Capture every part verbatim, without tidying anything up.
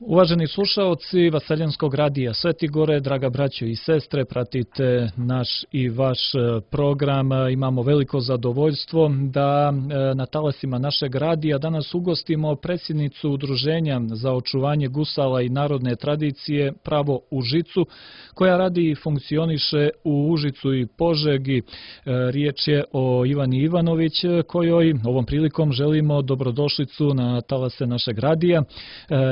Uvaženi slušaoci Vaseljenskog radija Sveti Gore, draga braćo i sestre, pratite naš i vaš program. Imamo veliko zadovoljstvo da na talasima našeg radija danas ugostimo predsjednicu Udruženja za očuvanje gusala i narodne tradicije Pravo u Žicu, koja radi i funkcioniše u Užicu i Požegi. Riječ je o Ivani Ivanović, kojoj ovom prilikom želimo dobrodošlicu na talase našeg radija.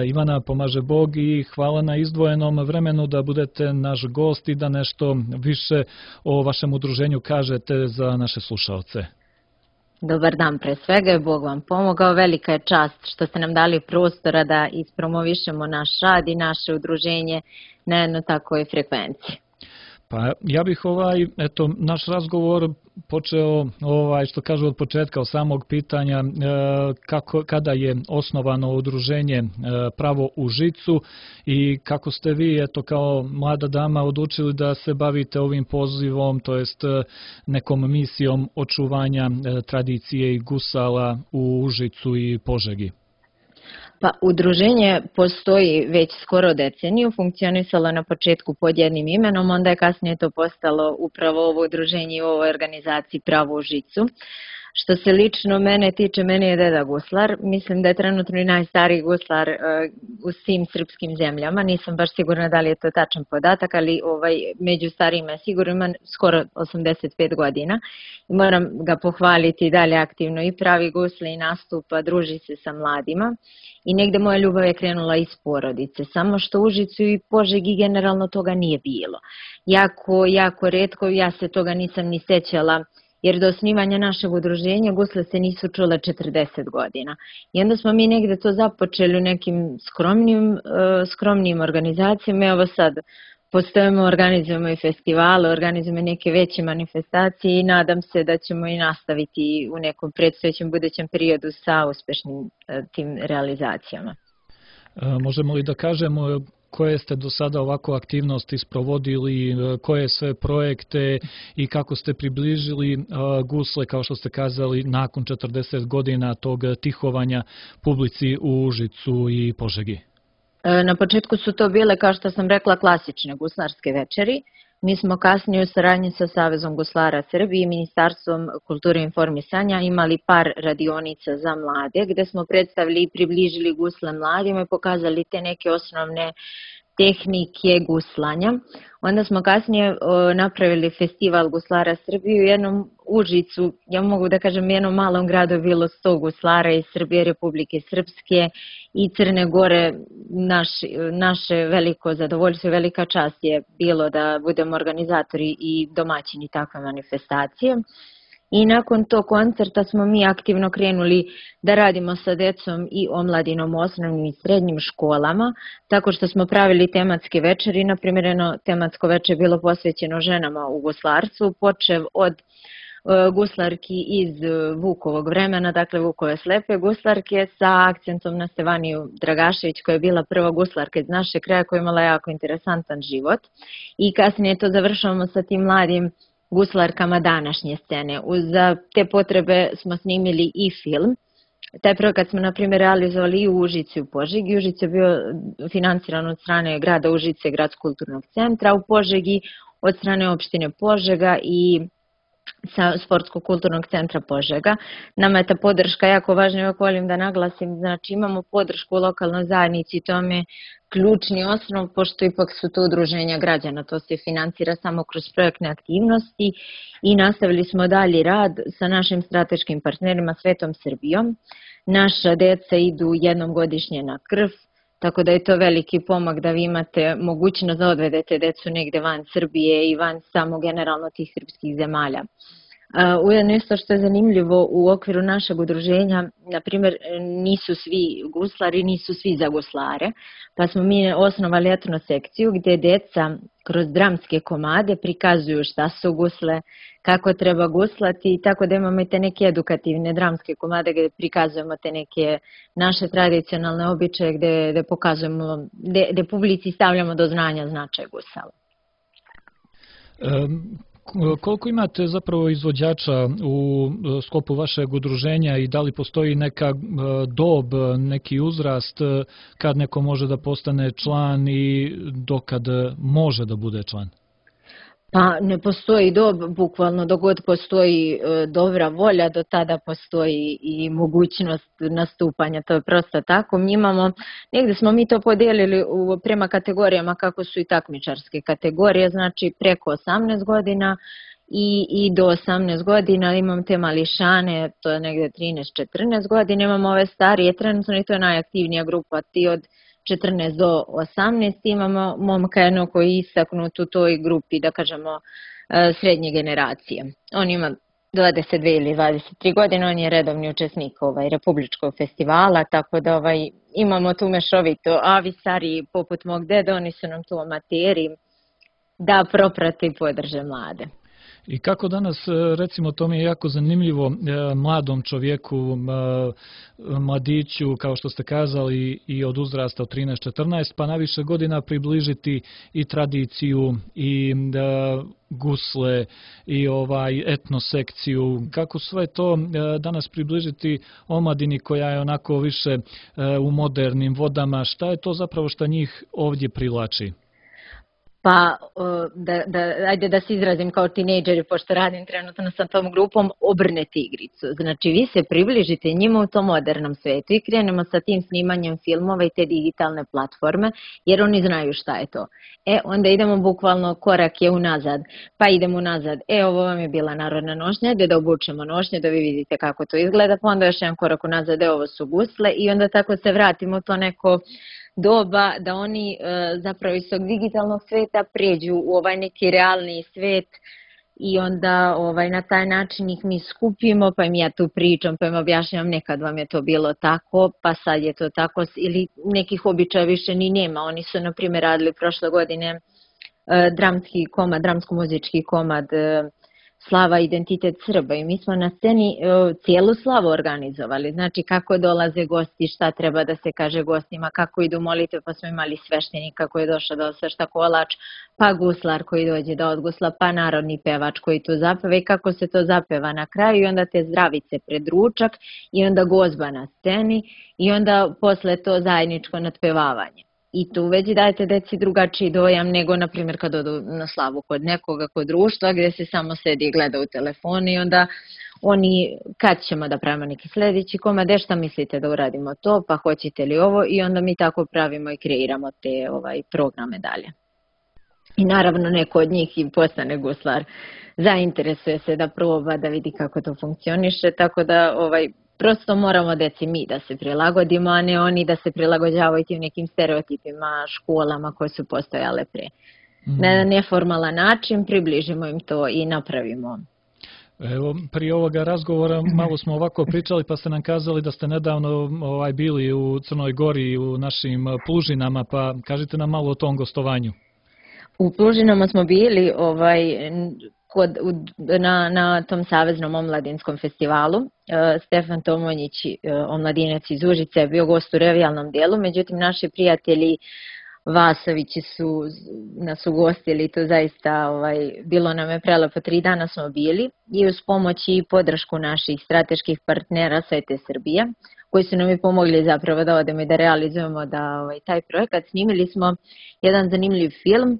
Ivana, pomaže Bog i hvala na izdvojenom vremenu da budete naš gost i da nešto više o vašem udruženju kažete za naše slušaoce. Dobar dan pre svega, Bog vam pomogao. Velika je čast što ste nam dali prostora da ispromovišemo naš rad i naše udruženje na jednoj takvoj frekvenciji. Pa ja bih ovaj, eto, naš razgovor počeo, ovaj, što kažu od početka, od samog pitanja kako, kada je osnovano udruženje Pravo u Žicu i kako ste vi, eto, kao mlada dama odlučili da se bavite ovim pozivom, to jest nekom misijom očuvanja tradicije i gusala u Užicu i Požegi. Pa, udruženje postoji već skoro deceniju, funkcionisalo na početku pod jednim imenom, onda je kasnije to postalo upravo ovo udruženje u ovoj organizaciji Pravo u Žicu. Što se lično mene tiče, meni je deda guslar, mislim da je trenutno i najstariji guslar u svim srpskim zemljama, nisam baš sigurna da li je to tačan podatak, ali ovaj, među starijima je sigurno, ima skoro osamdeset pet godina i moram ga pohvaliti dalje aktivno i pravi gusle i nastupa, druži se sa mladima. I negde moja ljubav je krenula iz porodice, samo što u Užicu i Požegi generalno toga nije bilo. Jako, jako retko, ja se toga nisam ni sećala, jer do osnivanja našeg udruženja gusle se nisu čule četrdeset godina. I onda smo mi negde to započeli u nekim skromnim, skromnim organizacijama. Evo sad postojimo, organizujemo i festivale, organizujemo neke veće manifestacije i nadam se da ćemo i nastaviti u nekom predstojećem budućem periodu sa uspešnim tim realizacijama. Možemo li da kažemo koje ste do sada ovako aktivnosti sprovodili, koje sve projekte i kako ste približili gusle, kao što ste kazali, nakon četrdeset godina tog tihovanja publici u Užicu i Požegi? Na početku su to bile, kao što sam rekla, klasične guslarske večeri. Mi smo kasnije u saradnji sa Savezom guslara Srbije i Ministarstvom kulture i informisanja imali par radionica za mlade, gde smo predstavili i približili gusle mladima i pokazali te neke osnovne tehnike guslanja. Onda smo kasnije napravili festival guslara Srbije u jednom Užicu, ja mogu da kažem jednom malom gradu bilo sto guslara iz Srbije, Republike Srpske i Crne Gore. Naš, naše veliko zadovoljstvo i velika čast je bilo da budemo organizatori i domaćini takve manifestacije. I nakon tog koncerta smo mi aktivno krenuli da radimo sa decom i omladinom u osnovnim i srednjim školama, tako što smo pravili tematske večeri. Naprimjer, jedno tematsko večer je bilo posvećeno ženama u guslarstvu, počev od guslarki iz Vukovog vremena, dakle Vukove slepe guslarke, sa akcentom na Stevaniju Dragašević, koja je bila prva guslarka iz našeg kraja, koja je imala jako interesantan život. I kasnije to završavamo sa tim mladim guslarkama današnje scene. Za te potrebe smo snimili i film. Taj projekat smo, na primjer, realizovali i u Užicu i u Požegi. Užice je bio financiran od strane grada Užice, Gradskog kulturnog centra, u Požegi od strane opštine Požega i sa Sportskog kulturnog centra Požega. Nama je ta podrška jako važna, ja volim da naglasim, znači imamo podršku u lokalnoj zajednici, to je ključni osnov, pošto ipak su to udruženja građana, to se financira samo kroz projektne aktivnosti i nastavili smo dalji rad sa našim strateškim partnerima Svetom Srbijom. Naša deca idu jednom godišnje na krv, tako da je to veliki pomak da vi imate mogućnost da odvedete decu negde van Srbije i van samo generalno tih srpskih zemalja. Ujedno isto što je zanimljivo u okviru našeg udruženja, na primjer, nisu svi guslari, nisu svi za guslare, pa smo mi osnovali etno sekciju gdje deca kroz dramske komade prikazuju šta su gusle, kako treba guslati, tako da imamo i te neke edukativne dramske komade gdje prikazujemo te neke naše tradicionalne običaje, gdje, gdje pokazujemo, gdje, gdje publici stavljamo do znanja značaj gusala. Um. Koliko imate zapravo izvođača u sklopu vašeg udruženja i da li postoji neka dob, neki uzrast kad neko može da postane član i dokad može da bude član? Pa ne postoji dob, bukvalno dok god postoji dobra volja, do tada postoji i mogućnost nastupanja, to je prosto tako. Mi imamo, negdje smo mi to podijelili prema kategorijama kako su i takmičarske kategorije, znači preko osamnaest godina i, i do osamnaest godina, imam te mališane, to je negdje trinaest četrnaest godina, imamo ove starije trenutno i to je najaktivnija grupa, ti od četrnaest do osamnaest, imamo momka jedno koji je istaknut u toj grupi, da kažemo, srednje generacije. On ima dvadeset dve ili dvadeset tri godine, on je redovni učesnik ovaj, Republičkog festivala, tako da ovaj, imamo tu mešovito, a vi stariji poput mog dede, oni su nam tu amateri da proprate i podrže mlade. I kako danas, recimo, to mi je jako zanimljivo, mladom čovjeku, mladiću, kao što ste kazali, i od uzrasta od trinaest četrnaest, pa na više godina približiti i tradiciju i gusle i ovaj etnosekciju. Kako sve to danas približiti omladini koja je onako više u modernim vodama? Šta je to zapravo što njih ovdje privlači? Pa, da, da, ajde da se izrazim kao tinejdžeri, pošto radim trenutno sa tom grupom, obrnete igricu. Znači, vi se približite njima u tom modernom svetu i krenemo sa tim snimanjem filmova i te digitalne platforme, jer oni znaju šta je to. E, onda idemo bukvalno korak je unazad, pa idemo unazad. E, ovo vam je bila narodna nošnja, da da obučemo nošnje, da vi vidite kako to izgleda, pa onda još jedan korak unazad, e, ovo su gusle i onda tako se vratimo u to neko doba da oni e, zapravo iz tog digitalnog sveta pređu u ovaj neki realni svet i onda ovaj, na taj način ih mi skupimo, pa im ja tu pričam, pa im objašnjam nekad vam je to bilo tako, pa sad je to tako, ili nekih običaja više ni nema. Oni su, na primjer, radili prošle godine e, dramski komad, dramsko-muzički komad e, Slava, identitet Srba i mi smo na sceni e, cijelu slavu organizovali, znači kako dolaze gosti, šta treba da se kaže gostima, kako idu molitve, pa smo imali sveštenika koji je došao da osvešta kolač, pa guslar koji dođe da odgusla, pa narodni pevač koji tu zapeva i kako se to zapeva na kraju i onda te zdravice pred ručak i onda gozba na sceni i onda posle to zajedničko natpevavanje. I tu već dajete deci drugačiji dojam nego, na primjer, kad odu na slavu kod nekoga, kod društva, gdje se samo sedi i gleda u telefonu i onda oni, kad ćemo da pravimo neki sljedeći komad, šta mislite da uradimo to, pa hoćete li ovo i onda mi tako pravimo i kreiramo te ovaj, programe dalje. I naravno neko od njih i postane guslar, zainteresuje se da proba, da vidi kako to funkcioniše, tako da ovaj, prosto moramo deci mi da se prilagodimo, a ne oni da se prilagođavaju tim nekim stereotipima, školama koje su postojale pre. Mm. Na neformalan način približimo im to i napravimo. Evo, prije ovoga razgovora malo smo ovako pričali, pa ste nam kazali da ste nedavno ovaj, bili u Crnoj Gori u našim Plužinama, pa kažite nam malo o tom gostovanju. U Plužinama smo bili ovaj, kod, u, na, na tom Saveznom omladinskom festivalu. E, Stefan Tomonjić, e, omladinac iz Užice, je bio gost u revijalnom dijelu, međutim naši prijatelji Vasovići su nas ugostili, to zaista ovaj, bilo nam je prelepo, tri dana smo bili i uz pomoć i podršku naših strateških partnera Svete Srbije, koji su nam i pomogli zapravo da odemo i da realizujemo da, ovaj, taj projekat. Snimili smo jedan zanimljiv film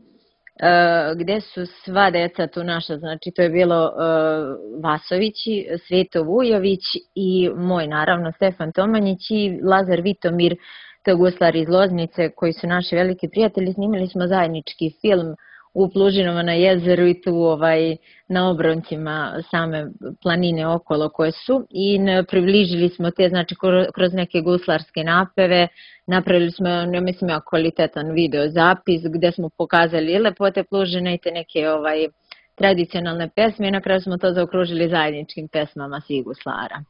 gdje su sva deca tu naša, znači to je bilo uh, Vasovići, Sveto Vujović i moj naravno Stefan Tomanjić i Lazar Vitomir, to je guslar iz Loznice koji su naši veliki prijatelji. Snimili smo zajednički film u Plužinama na jezeru i tu ovaj, na obroncima same planine okolo koje su i približili smo te, znači kroz neke guslarske napeve, napravili smo, ja mislim, kvalitetan video zapis gdje smo pokazali i lepote Plužine i te neke ovaj, tradicionalne pesme i na kraju smo to zaokružili zajedničkim pesmama svih guslara.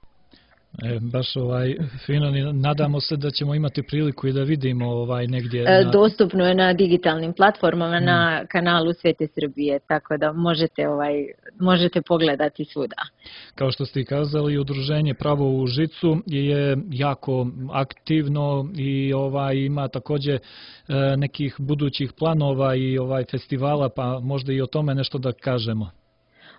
E, baš ovaj, fino, nadamo se da ćemo imati priliku i da vidimo ovaj, negdje. Na... Dostupno je na digitalnim platformama, mm. na kanalu Svete Srbije, tako da možete, ovaj, možete pogledati svuda. Kao što ste i kazali, udruženje Pravo u Užicu je jako aktivno i ovaj, ima također e, nekih budućih planova i ovaj festivala, pa možda i o tome nešto da kažemo.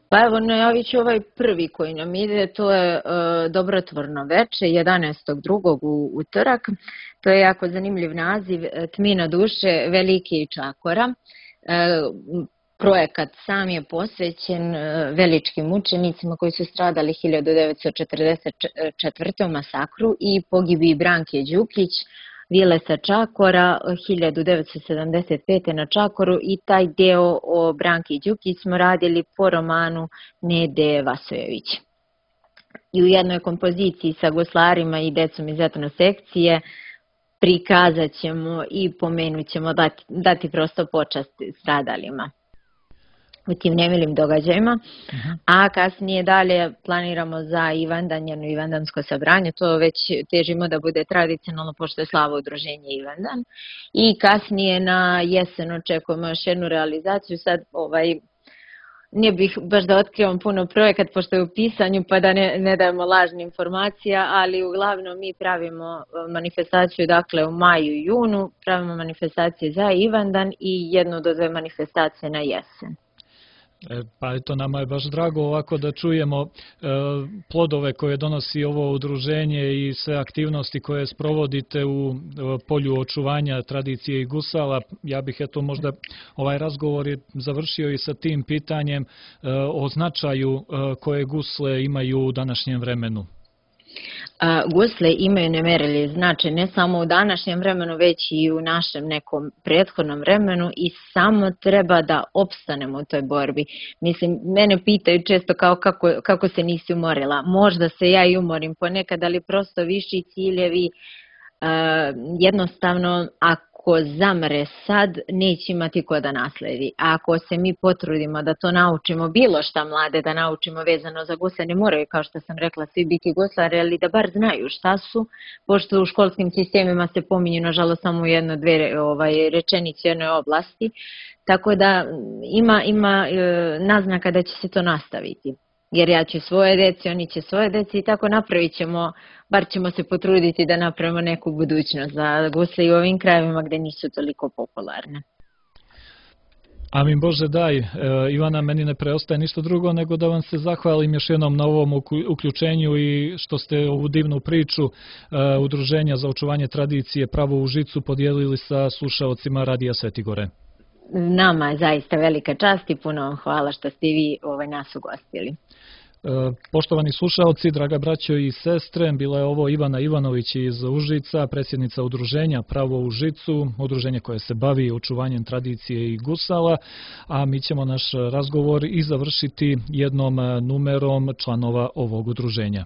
Pa evo, najavit ću ovaj prvi koji nam ide, to je e, Dobrotvorno veče, jedanaestog drugog u utorak. To je jako zanimljiv naziv, Tmina duše Velike i Čakora. E, projekat sam je posvećen e, veličkim mučenicima koji su stradali hiljadu devetsto četrdeset četvrte. u masakru i pogibiji Branke Đukić, Vilesa Čakora, hiljadu devetsto sedamdeset pete. na Čakoru, i taj deo o Branki Đukić smo radili po romanu Nede Vasojević. I u jednoj kompoziciji sa guslarima i decom iz etno sekcije prikazat ćemo i pomenut ćemo, dati, dati prosto počast stradalima u tim nemilim događajima, uh-huh. A kasnije dalje planiramo za Ivandan, jedno ivandansko sabranje, to već težimo da bude tradicionalno, pošto je slavo udruženje Ivandan, i kasnije na jesen očekujemo još jednu realizaciju. Sad ovaj, ne bih baš da otkrivam puno projekat, pošto je u pisanju, pa da ne, ne dajemo lažne informacije, ali uglavnom mi pravimo manifestaciju, dakle u maju i junu, pravimo manifestacije za Ivandan i jednu do dve manifestacije na jesen. E, pa eto, nama je baš drago ovako da čujemo e, plodove koje donosi ovo udruženje i sve aktivnosti koje sprovodite u e, polju očuvanja tradicije i gusala. Ja bih eto možda ovaj razgovor je završio i sa tim pitanjem e, o značaju e, koje gusle imaju u današnjem vremenu. Gusle imaju nemerljiv značaj ne samo u današnjem vremenu, već i u našem nekom prethodnom vremenu, i samo treba da opstanemo u toj borbi. Mislim, mene pitaju često kao kako, kako se nisi umorila. Možda se ja i umorim ponekad, ali prosto viši ciljevi, jednostavno ako zamre sad, neće imati ko da nasledi. A ako se mi potrudimo da to naučimo, bilo šta mlade da naučimo vezano za gusle, ne moraju, kao što sam rekla, svi biti guslari, ali da bar znaju šta su, pošto u školskim sistemima se pominju, nažalost, samo jedno, dve ovaj, rečenice u jednoj oblasti, tako da ima, ima e, naznaka da će se to nastaviti. Jer ja ću svoje deci, oni će svoje deci, i tako napravit ćemo, bar ćemo se potruditi da napravimo neku budućnost za gusle i u ovim krajevima gde nisu toliko popularne. Amin Bože daj. E, Ivana, meni ne preostaje ništa drugo nego da vam se zahvalim još jednom na ovom uključenju i što ste ovu divnu priču e, Udruženja za očuvanje tradicije Pravo u Užicu podijelili sa slušaocima Radija Sveti Gore. Nama je zaista velika čast i puno vam hvala što ste vi ovaj, nas ugostili. Poštovani slušaoci, draga braćo i sestre, bila je ovo Ivana Ivanović iz Užica, predsjednica Udruženja Pravo u Užicu, udruženje koje se bavi očuvanjem tradicije i gusala, a mi ćemo naš razgovor i završiti jednom numerom članova ovog udruženja.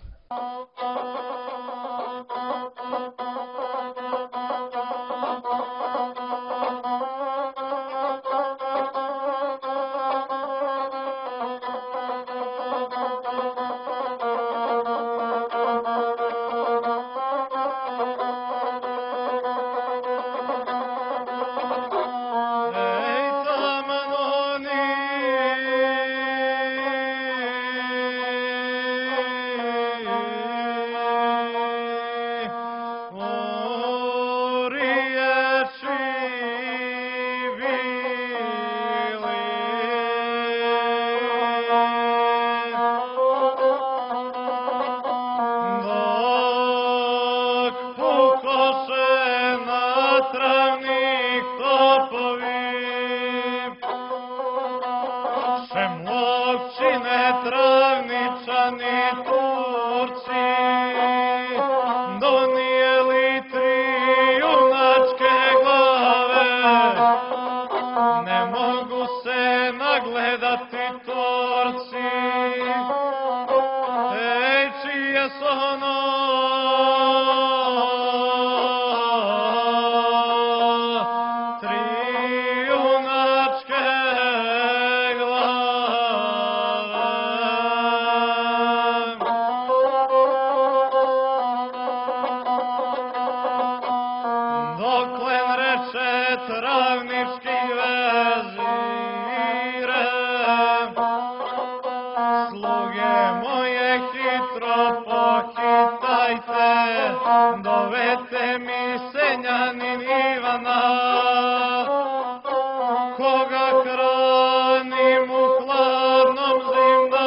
Dovete mi senjanin Ivana, koga hranim u hladnom zimda.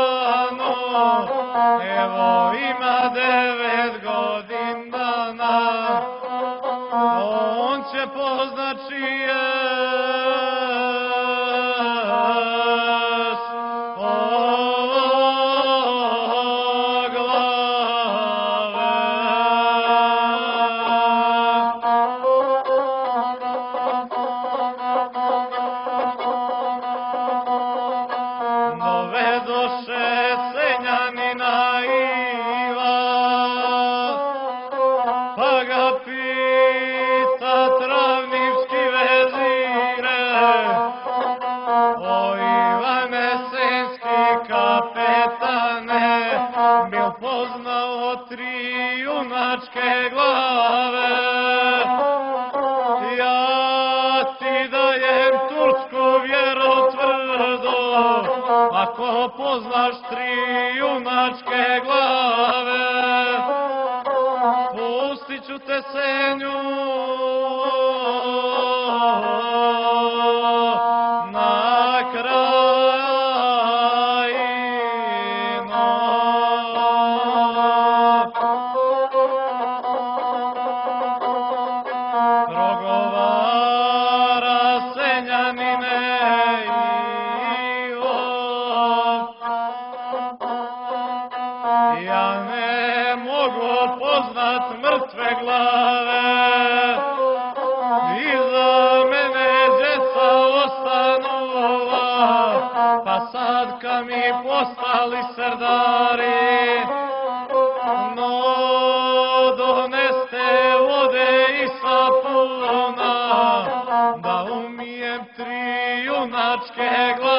poznaš tri junačke glave, pustit ću te senju na krajino. Progovara Senjanine ja ne mogu poznat mrtve glave, iza mene djeca ostanula, pa sad kad mi postali serdari, no doneste vode i sapuna, da umijem tri junačke glave.